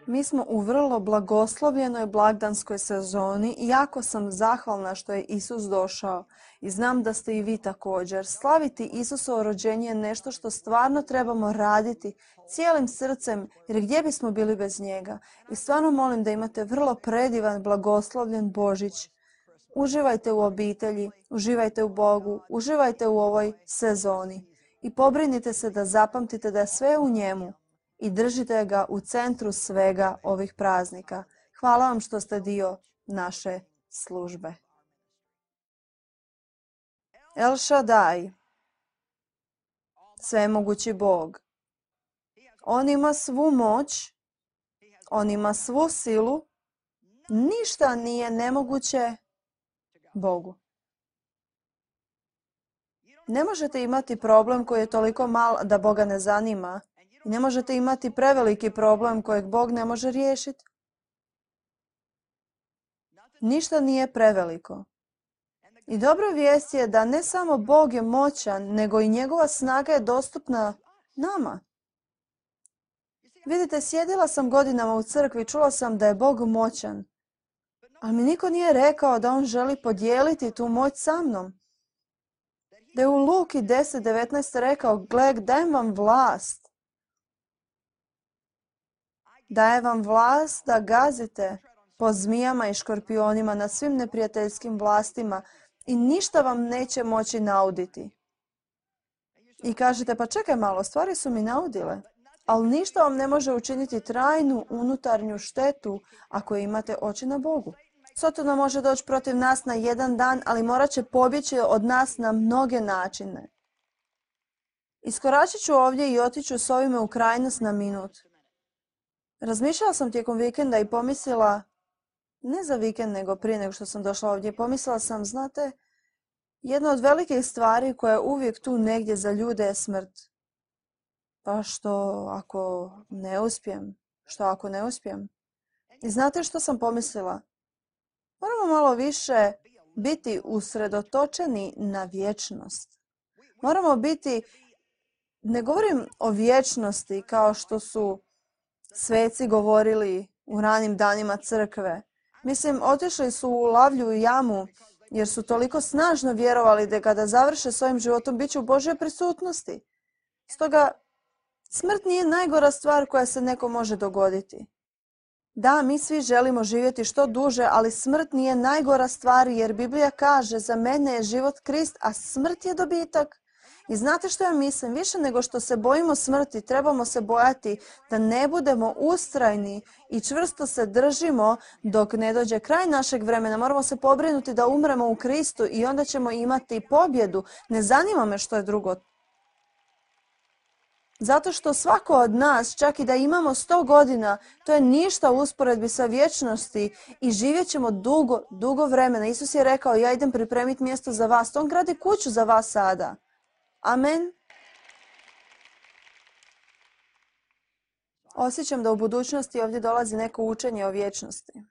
Mi smo u vrlo blagoslovljenoj blagdanskoj sezoni i jako sam zahvalna što je Isus došao. I znam da ste i vi također. Slaviti Isusovo rođenje je nešto što stvarno trebamo raditi cijelim srcem, jer gdje bismo bili bez njega. I stvarno molim da imate vrlo predivan, blagoslovljen Božić. Uživajte u obitelji, uživajte u Bogu, uživajte u ovoj sezoni. I pobrinite se da zapamtite da je sve u njemu. I držite ga u centru svega ovih praznika. Hvala vam što ste dio naše službe. El Shaddai, svemogući Bog. On ima svu moć, on ima svu silu, ništa nije nemoguće Bogu. Ne možete imati problem koji je toliko mal da Boga ne zanima. I ne možete imati preveliki problem kojeg Bog ne može riješiti. Ništa nije preveliko. I dobra vijest je da ne samo Bog je moćan, nego i njegova snaga je dostupna nama. Vidite, sjedila sam godinama u crkvi i čula sam da je Bog moćan. Ali mi niko nije rekao da on želi podijeliti tu moć sa mnom. Da je u Luki 10:19 rekao, gle, dajem vam vlast. Daje vam vlast da gazite po zmijama i škorpionima nad svim neprijateljskim vlastima i ništa vam neće moći nauditi. I kažete, pa čekaj malo, stvari su mi naudile. Ali ništa vam ne može učiniti trajnu unutarnju štetu ako imate oči na Bogu. Sotona može doći protiv nas na jedan dan, ali morat će pobjeći od nas na mnoge načine. Iskoračit ću ovdje i otiću s ovime u krajnost na minut. Razmišljala sam tijekom vikenda i pomislila, ne za vikend nego prije nego što sam došla ovdje, pomislila sam, znate, jedna od velikih stvari koja je uvijek tu negdje za ljude je smrt. Pa što ako ne uspijem? Što ako ne uspijem? I znate što sam pomislila? Moramo malo više biti usredotočeni na vječnost. Moramo biti, ne govorim o vječnosti kao što su sveci govorili u ranim danima crkve. Mislim, otišli su u lavlju i jamu jer su toliko snažno vjerovali da kada završe svojim životom bit će u Božjoj prisutnosti. Stoga, smrt nije najgora stvar koja se nekom može dogoditi. Da, mi svi želimo živjeti što duže, ali smrt nije najgora stvar jer Biblija kaže za mene je život Krist, a smrt je dobitak. I znate što ja mislim? Više nego što se bojimo smrti, trebamo se bojati da ne budemo ustrajni i čvrsto se držimo dok ne dođe kraj našeg vremena. Moramo se pobrinuti da umremo u Kristu i onda ćemo imati pobjedu. Ne zanima me što je drugo. Zato što svako od nas, čak i da imamo 100 godina, to je ništa u usporedbi sa vječnosti i živjet ćemo dugo, dugo vremena. Isus je rekao, ja idem pripremiti mjesto za vas. On gradi kuću za vas sada. Amen. Osjećam da u budućnosti ovdje dolazi neko učenje o vječnosti.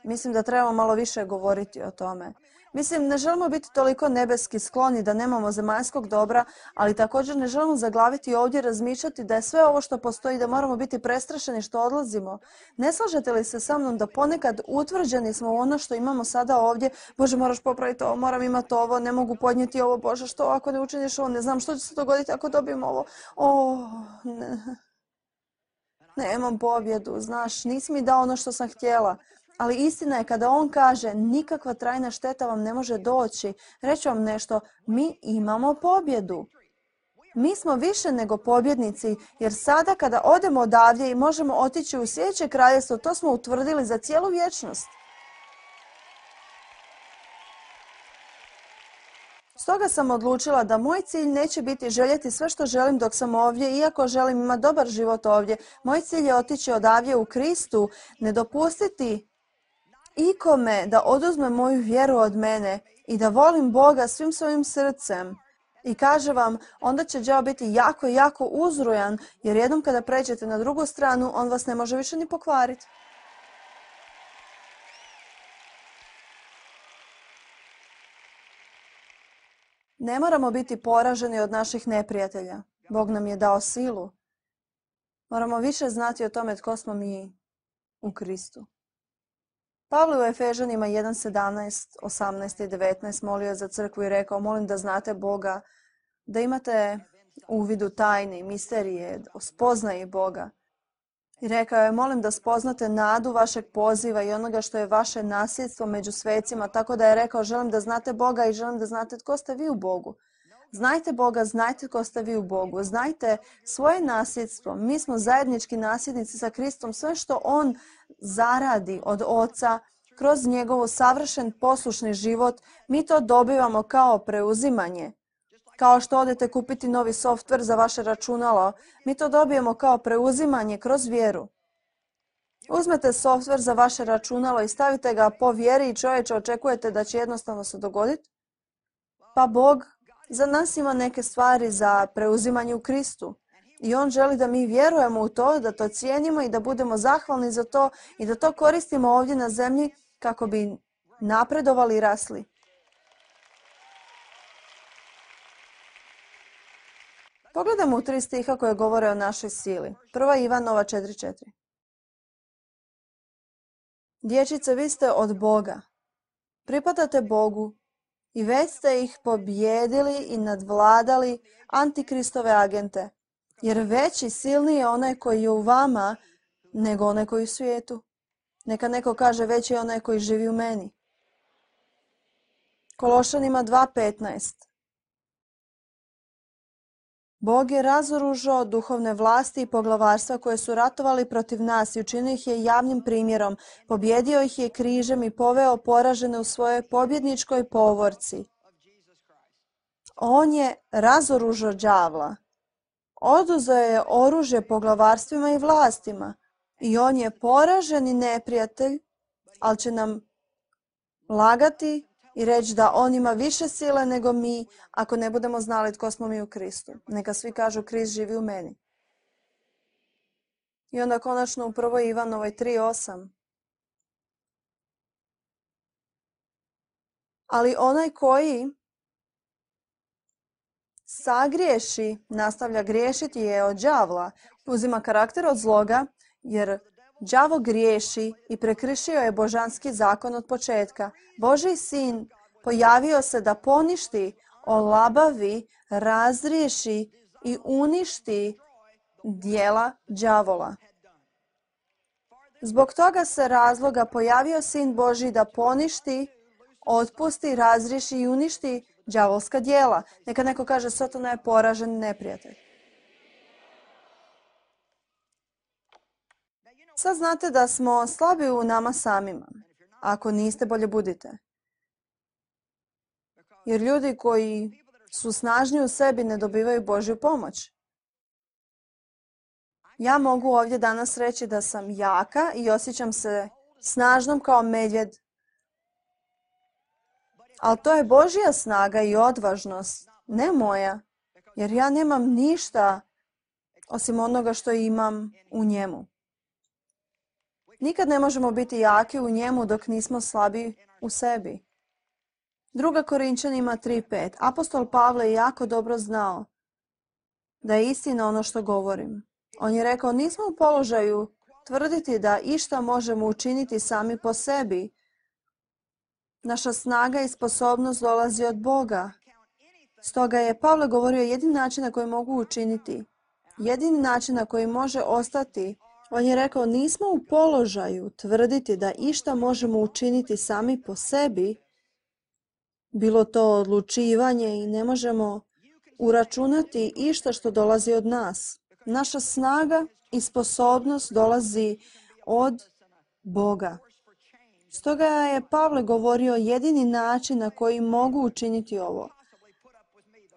Mislim da trebamo malo više govoriti o tome. Mislim, ne želimo biti toliko nebeski skloni da nemamo zemaljskog dobra, ali također ne želimo zaglaviti ovdje razmišljati da je sve ovo što postoji, da moramo biti prestrašeni što odlazimo. Ne slažete li se sa mnom da ponekad utvrđeni smo u ono što imamo sada ovdje? Bože, moraš popraviti ovo, moram imati ovo, ne mogu podnijeti ovo, Bože, što ako ne učiniš ovo, ne znam što će se dogoditi ako dobijem ovo. Ne. Nemam pobjedu, znaš, nisi mi dao ono što sam htjela. Ali istina je kada on kaže nikakva trajna šteta vam ne može doći. Reći vam nešto, mi imamo pobjedu. Mi smo više nego pobjednici jer sada kada odemo odavdje i možemo otići u sljedeće kraljevstvo, to smo utvrdili za cijelu vječnost. Stoga sam odlučila da moj cilj neće biti željeti sve što želim dok sam ovdje, iako želim imati dobar život ovdje. Moj cilj je otići odavdje u Kristu, ne dopustiti ikome da oduzme moju vjeru od mene i da volim Boga svim svojim srcem. I kaže vam, onda će đavo biti jako, jako uzrujan, jer jednom kada pređete na drugu stranu, on vas ne može više ni pokvariti. Ne moramo biti poraženi od naših neprijatelja. Bog nam je dao silu. Moramo više znati o tome tko smo mi. u Kristu. Pavle u Efežanima 1:17, 18 i 19 molio za crkvu i rekao, molim da znate Boga, da imate uvid u tajni, misterije, spoznaje Boga. I rekao je, molim da spoznate nadu vašeg poziva i onoga što je vaše nasljedstvo među svecima, tako da je rekao, želim da znate Boga i želim da znate tko ste vi u Bogu. Znajte Boga, znajte tko ste vi u Bogu, znajte svoje nasljedstvo. Mi smo zajednički nasljednici sa Kristom, sve što On zaradi od Oca, kroz njegov savršen poslušni život, mi to dobivamo kao preuzimanje. Kao što odete kupiti novi softver za vaše računalo, mi to dobijemo kao preuzimanje kroz vjeru. Uzmete softver za vaše računalo i stavite ga po vjeri i čovječe očekujete da će jednostavno se dogoditi? Pa Bog za nas ima neke stvari za preuzimanje u Kristu. I On želi da mi vjerujemo u to, da to cijenimo i da budemo zahvalni za to i da to koristimo ovdje na zemlji kako bi napredovali i rasli. Pogledajmo u 3 stiha koje govore o našoj sili. 1. Ivanova 4:4. Dječice, vi ste od Boga. Pripadate Bogu i već ste ih pobjedili i nadvladali antikristove agente. Jer veći, silniji je onaj koji je u vama nego onaj koji je u svijetu. Neka neko kaže veći je onaj koji živi u meni. Kološanima 2:15. Bog je razoružao duhovne vlasti i poglavarstva koje su ratovali protiv nas i učinio ih je javnim primjerom, pobjedio ih je križem i poveo poražene u svojoj pobjedničkoj povorci. On je razoružao đavla. Oduzeo je oružje poglavarstvima i vlastima i on je poraženi neprijatelj, ali će nam lagati i reći da on ima više sile nego mi ako ne budemo znali tko smo mi u Kristu. Neka svi kažu Krist živi u meni. I onda konačno u 1. Ivanovoj 3:8. Ali onaj koji sagriješi, nastavlja griješiti je od đavla, uzima karakter od zloga, jer đavo griješi i prekršio je božanski zakon od početka. Božji sin pojavio se da poništi, olabavi, razriješi i uništi djela đavola. Zbog toga se razloga pojavio sin Božji da poništi, otpusti, razriješi i uništi đavolska djela. Neka neko kaže, Satana je poražen neprijatelj. Sad znate da smo slabi u nama samima. Ako niste, bolje budite. Jer ljudi koji su snažni u sebi ne dobivaju Božju pomoć. Ja mogu ovdje danas reći da sam jaka i osjećam se snažnom kao medvjed. Ali to je Božja snaga i odvažnost, ne moja. Jer ja nemam ništa osim onoga što imam u njemu. Nikad ne možemo biti jaki u njemu dok nismo slabi u sebi. 2. Korinčanima 3:5. Apostol Pavle je jako dobro znao da je istina ono što govorim. On je rekao, nismo u položaju tvrditi da išta možemo učiniti sami po sebi. Naša snaga i sposobnost dolazi od Boga. Stoga je Pavle govorio jedini način na koji mogu učiniti, jedini način na koji može ostati. On je rekao, nismo u položaju tvrditi da išta možemo učiniti sami po sebi, bilo to odlučivanje i ne možemo uračunati išta što dolazi od nas. Naša snaga i sposobnost dolazi od Boga. Stoga je Pavle govorio jedini način na koji mogu učiniti ovo.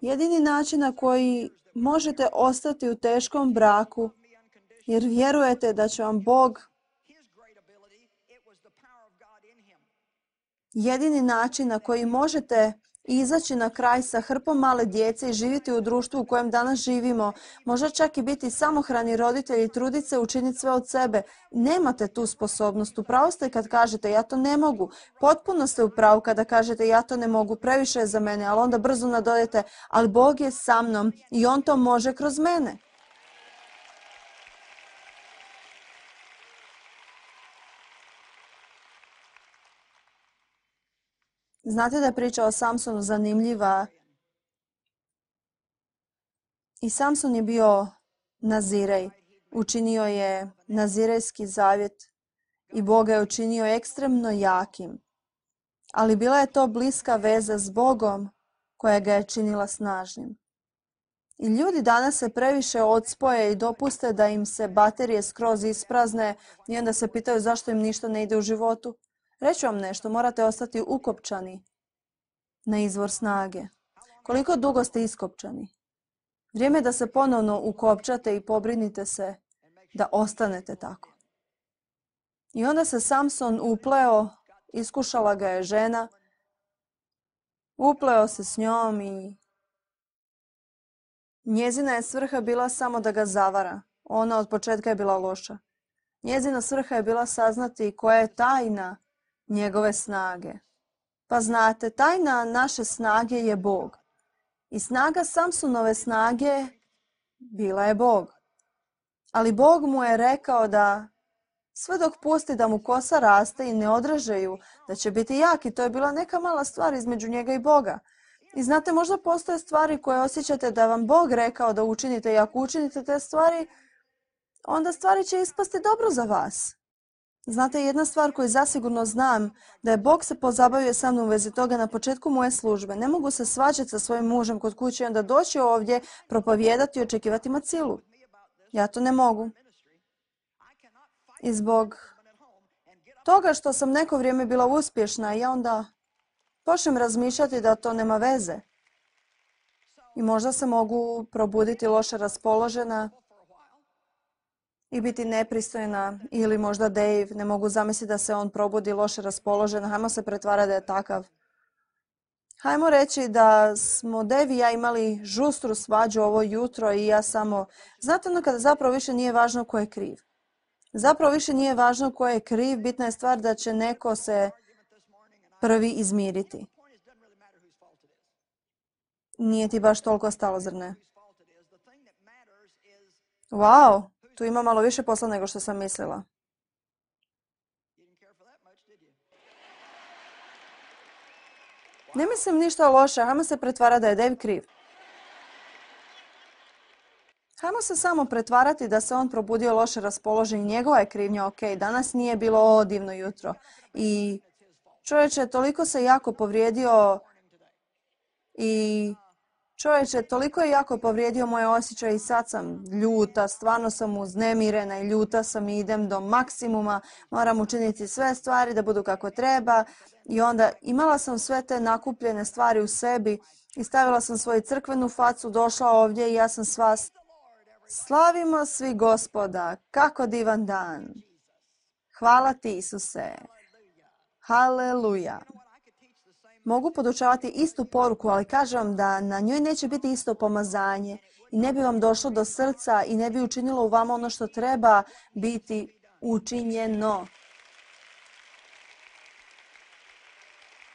Jedini način na koji možete ostati u teškom braku, jer vjerujete da će vam Bog. Jedini način na koji možete izaći na kraj sa hrpom male djece i živjeti u društvu u kojem danas živimo, možda čak i biti samohrani roditelji, truditi se učiniti sve od sebe. Nemate tu sposobnost. Upravo ste kad kažete ja to ne mogu. Potpuno ste upravo kada kažete ja to ne mogu, previše je za mene, ali onda brzo nadodajete, ali Bog je sa mnom i On to može kroz mene. Znate da je priča o Samsonu zanimljiva. I Samson je bio nazirej. Učinio je nazirejski zavjet i Bog ga je učinio ekstremno jakim. Ali bila je to bliska veza s Bogom koja ga je činila snažnim. I ljudi danas se previše odspoje i dopuste da im se baterije skroz isprazne i onda se pitaju zašto im ništa ne ide u životu. Reću vam nešto, morate ostati ukopčani na izvor snage. Koliko dugo ste iskopčani? Vrijeme je da se ponovno ukopčate i pobrinite se da ostanete tako. I onda se Samson upleo, iskušala ga je žena, upleo se s njom i njezina je svrha bila samo da ga zavara. Ona od početka je bila loša. Njezina svrha je bila saznati koja je tajna njegove snage. Pa znate, tajna naše snage je Bog. I snaga Samsonove snage bila je Bog. Ali Bog mu je rekao da sve dok pusti da mu kosa raste i ne odreže ju, da će biti jak i to je bila neka mala stvar između njega i Boga. I znate, možda postoje stvari koje osjećate da vam Bog rekao da učinite i ako učinite te stvari, onda stvari će ispasti dobro za vas. Znate, jedna stvar koju zasigurno znam, da je Bog se pozabavio sa mnom u vezi toga na početku moje službe. Ne mogu se svađati sa svojim mužem kod kuće i onda doći ovdje, propovijedati i očekivati macilu. Ja to ne mogu. I zbog toga što sam neko vrijeme bila uspješna, ja onda počnem razmišljati da to nema veze. I možda se mogu probuditi loše raspoložena i biti nepristojna, ili možda Dave, ne mogu zamisliti da se on probudi loše raspoložen, hajmo se pretvarati da je takav. Hajmo reći da smo Dave i ja imali žustru svađu ovo jutro i ja samo, znate ono kada zapravo više nije važno ko je kriv. Zapravo više nije važno ko je kriv, bitna je stvar da će neko se prvi izmiriti. Nije ti baš toliko stalo, zar ne? Wow, tu ima malo više posla nego što sam mislila. Ne mislim ništa loše, hajmo se pretvarati da je Dave kriv. Hajmo se samo pretvarati da se on probudio loše raspoložen i njegova je krivnja, ok, danas nije bilo divno jutro. I čovječe, toliko se jako povrijedio toliko je jako povrijedio moje osjećaje i sad sam ljuta, stvarno sam uznemirena i ljuta sam i idem do maksimuma, moram učiniti sve stvari da budu kako treba i onda imala sam sve te nakupljene stvari u sebi i stavila sam svoju crkvenu facu, došla ovdje i ja sam sva slavimo svi Gospoda, kako divan dan. Hvala ti, Isuse. Haleluja. Mogu podučavati istu poruku, ali kažem vam da na njoj neće biti isto pomazanje i ne bi vam došlo do srca i ne bi učinilo u vama ono što treba biti učinjeno.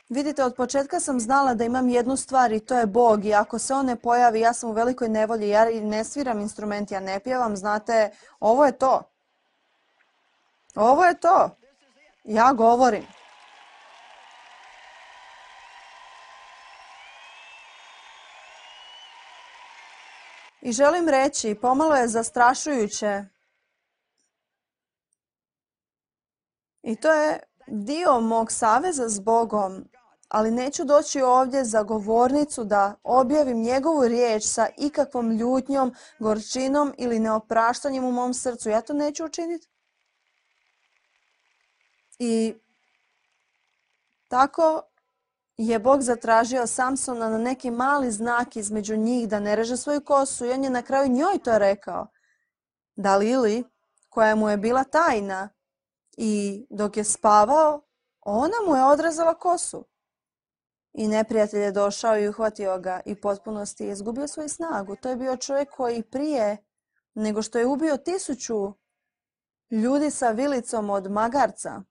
Vidite, od početka sam znala da imam jednu stvar i to je Bog i ako se on ne pojavi, ja sam u velikoj nevolji, ja ne sviram instrument, ja ne pjevam, znate, ovo je to. Ovo je to. Ja govorim. I želim reći, pomalo je zastrašujuće. I to je dio mog saveza s Bogom, ali neću doći ovdje za govornicu da objavim njegovu riječ sa ikakvom ljutnjom, gorčinom ili neopraštanjem u mom srcu. Ja to neću učiniti. I tako je Bog zatražio Samsona na neki mali znak između njih da ne reže svoju kosu i on je na kraju njoj to rekao. Dalili, koja mu je bila tajna i dok je spavao, ona mu je odrezala kosu. I neprijatelj je došao i uhvatio ga i potpunosti je izgubio svoju snagu. To je bio čovjek koji prije nego što je ubio 1000 ljudi sa vilicom od magarca,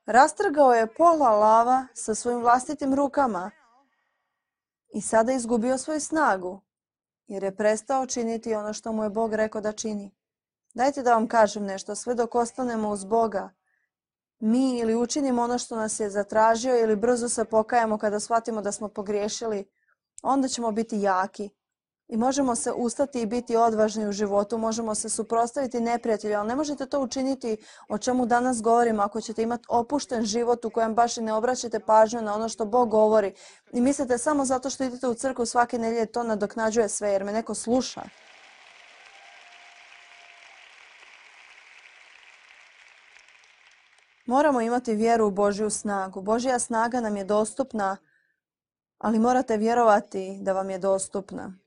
rastrgao je pola lava sa svojim vlastitim rukama i sada je izgubio svoju snagu jer je prestao činiti ono što mu je Bog rekao da čini. Dajte da vam kažem nešto, sve dok ostanemo uz Boga, mi ili učinimo ono što nas je zatražio ili brzo se pokajemo kada shvatimo da smo pogriješili, onda ćemo biti jaki. I možemo se ustati i biti odvažni u životu, možemo se suprotstaviti neprijatelju, ali ne možete to učiniti o čemu danas govorimo ako ćete imati opušten život u kojem baš i ne obraćate pažnju na ono što Bog govori i mislite samo zato što idete u crkvu svake nedjelje to nadoknađuje sve jer me neko sluša. Moramo imati vjeru u Božju snagu. Božja snaga nam je dostupna, ali morate vjerovati da vam je dostupna.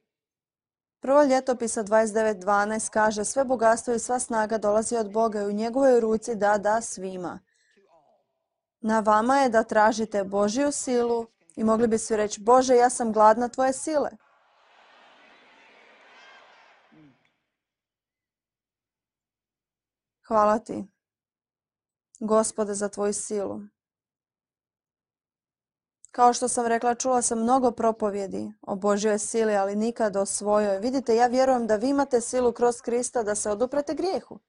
Prvo Ljetopisa 29.12 kaže sve bogatstvo i sva snaga dolazi od Boga i u njegovoj ruci da svima. Na vama je da tražite Božju silu i mogli bi svi reći Bože, ja sam gladna tvoje sile. Hvala ti, Gospode, za tvoju silu. Kao što sam rekla, čula sam mnogo propovjedi o Božjoj sili, ali nikad o svojoj. Vidite, ja vjerujem da vi imate silu kroz Krista da se oduprete grijehu.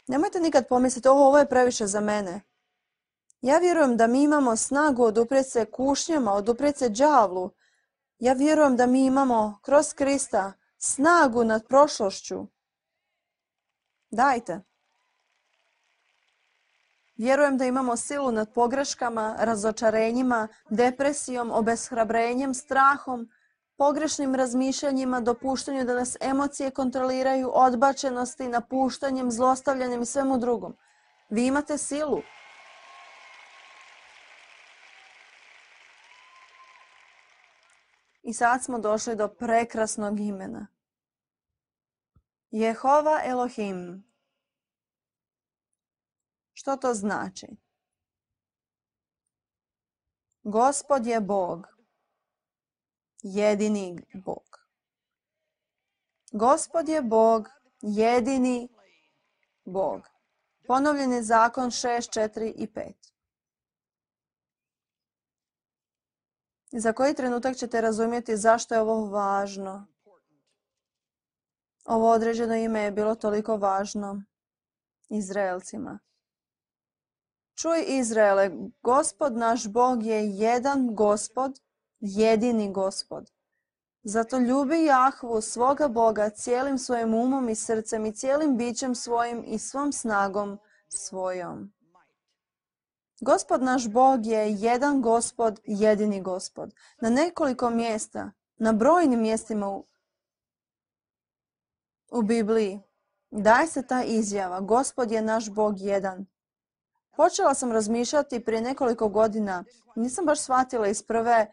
Nemojte nikad pomisliti, ovo je previše za mene. Ja vjerujem da mi imamo snagu oduprijeti se kušnjama, oduprijeti se đavlu. Ja vjerujem da mi imamo kroz Krista snagu nad prošlošću. Dajte. Vjerujem da imamo silu nad pogreškama, razočarenjima, depresijom, obeshrabrenjem, strahom, pogrešnim razmišljanjima, dopuštanju da nas emocije kontroliraju, odbačenosti, napuštanjem, zlostavljanjem i svemu drugom. Vi imate silu. I sad smo došli do prekrasnog imena. Jehova Elohim. Što to znači? Gospod je Bog. Jedini Bog. Gospod je Bog. Jedini Bog. Ponovljeni zakon 6, 4 i 5. Za koji trenutak ćete razumjeti zašto je ovo važno? Ovo određeno ime je bilo toliko važno Izraelcima. Čuj Izraele, Gospod naš Bog je jedan Gospod, jedini Gospod. Zato ljubi Jahvu, svoga Boga, cijelim svojim umom i srcem i cijelim bićem svojim i svom snagom svojom. Gospod naš Bog je jedan Gospod, jedini Gospod. Na nekoliko mjesta, na brojnim mjestima u Bibliji daje se ta izjava, Gospod je naš Bog jedan. Počela sam razmišljati prije nekoliko godina, nisam baš shvatila iz prve.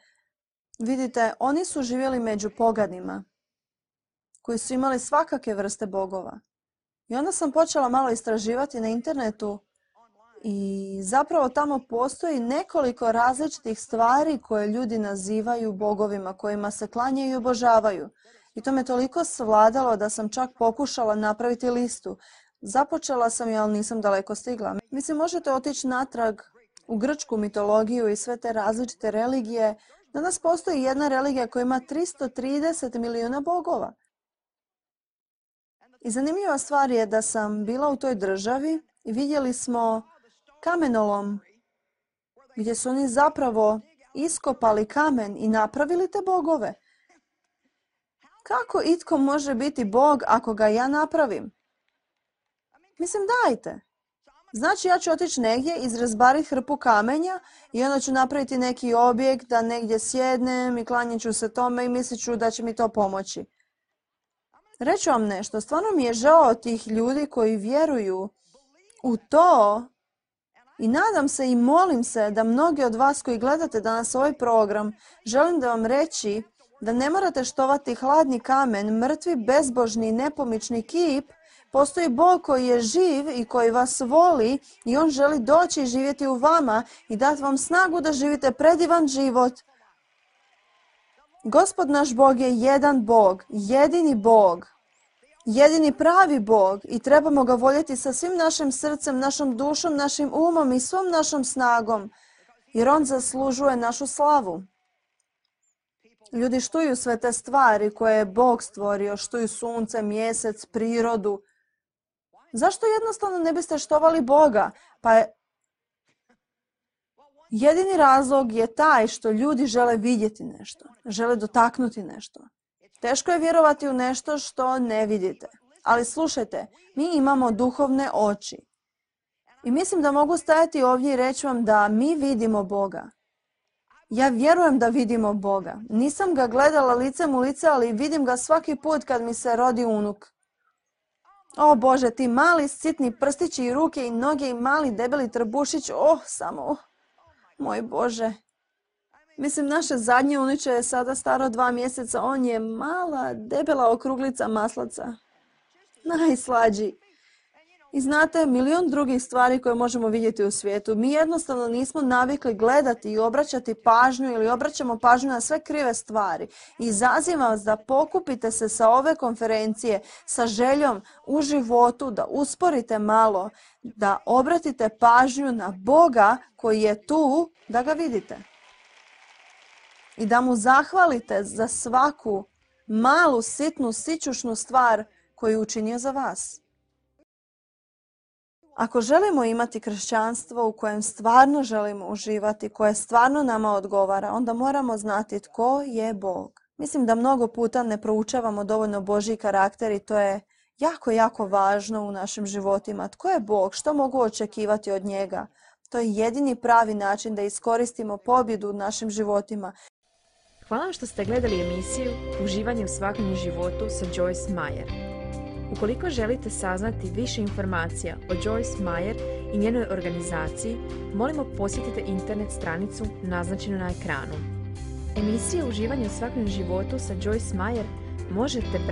Vidite, oni su živjeli među poganima, koji su imali svakake vrste bogova. I onda sam počela malo istraživati na internetu i zapravo tamo postoji nekoliko različitih stvari koje ljudi nazivaju bogovima, kojima se klanjaju i obožavaju. I to me toliko svladalo da sam čak pokušala napraviti listu. Započela sam je, ali nisam daleko stigla. Mislim, možete otići natrag u grčku mitologiju i sve te različite religije. Danas postoji jedna religija koja ima 330 milijuna bogova. I zanimljiva stvar je da sam bila u toj državi i vidjeli smo kamenolom gdje su oni zapravo iskopali kamen i napravili te bogove. Kako itko može biti bog ako ga ja napravim? Mislim, dajte. Znači, ja ću otići negdje, izrazbariti hrpu kamenja i onda ću napraviti neki objekt da negdje sjednem i klanjat ću se tome i mislit ću da će mi to pomoći. Reću vam nešto, stvarno mi je žao tih ljudi koji vjeruju u to i nadam se i molim se da mnogi od vas koji gledate danas ovaj program, želim da vam reći da ne morate štovati hladni kamen, mrtvi, bezbožni, nepomični kip. Postoji Bog koji je živ i koji vas voli i On želi doći i živjeti u vama i dati vam snagu da živite predivan život. Gospod naš Bog je jedan Bog, jedini Bog, jedini pravi Bog i trebamo ga voljeti sa svim našim srcem, našom dušom, našim umom i svom našom snagom, jer On zaslužuje našu slavu. Ljudi štuju sve te stvari koje je Bog stvorio, štuju sunce, mjesec, prirodu. Zašto jednostavno ne biste štovali Boga? Pa jedini razlog je taj što ljudi žele vidjeti nešto, žele dotaknuti nešto. Teško je vjerovati u nešto što ne vidite. Ali slušajte, mi imamo duhovne oči. I mislim da mogu stajati ovdje i reći vam da mi vidimo Boga. Ja vjerujem da vidimo Boga. Nisam ga gledala licem u lice, ali vidim ga svaki put kad mi se rodi unuk. O Bože, ti mali sitni prstići i ruke i noge i mali debeli trbušić, moj Bože. Mislim, naše zadnje unuče je sada staro 2 mjeseca, on je mala, debela okruglica maslaca. Najslađi. I znate, milion drugih stvari koje možemo vidjeti u svijetu. Mi jednostavno nismo navikli gledati i obraćati pažnju ili obraćamo pažnju na sve krive stvari. I izazivam vas da pokupite se sa ove konferencije sa željom u životu, da usporite malo, da obratite pažnju na Boga koji je tu, da ga vidite. I da mu zahvalite za svaku malu, sitnu, sićušnu stvar koju je učinio za vas. Ako želimo imati kršćanstvo u kojem stvarno želimo uživati, koje stvarno nama odgovara, onda moramo znati tko je Bog. Mislim da mnogo puta ne proučavamo dovoljno Božji karakter i to je jako, jako važno u našim životima. Tko je Bog? Što mogu očekivati od njega? To je jedini pravi način da iskoristimo pobjedu u našim životima. Hvala vam što ste gledali emisiju Uživanje u svakodnevnom životu sa Joyce Meyer. Ukoliko želite saznati više informacija o Joyce Meyer i njenoj organizaciji, molimo posjetite internet stranicu naznačenu na ekranu. Emisiju Uživanje u svakodnevnom životu sa Joyce Meyer možete pratiti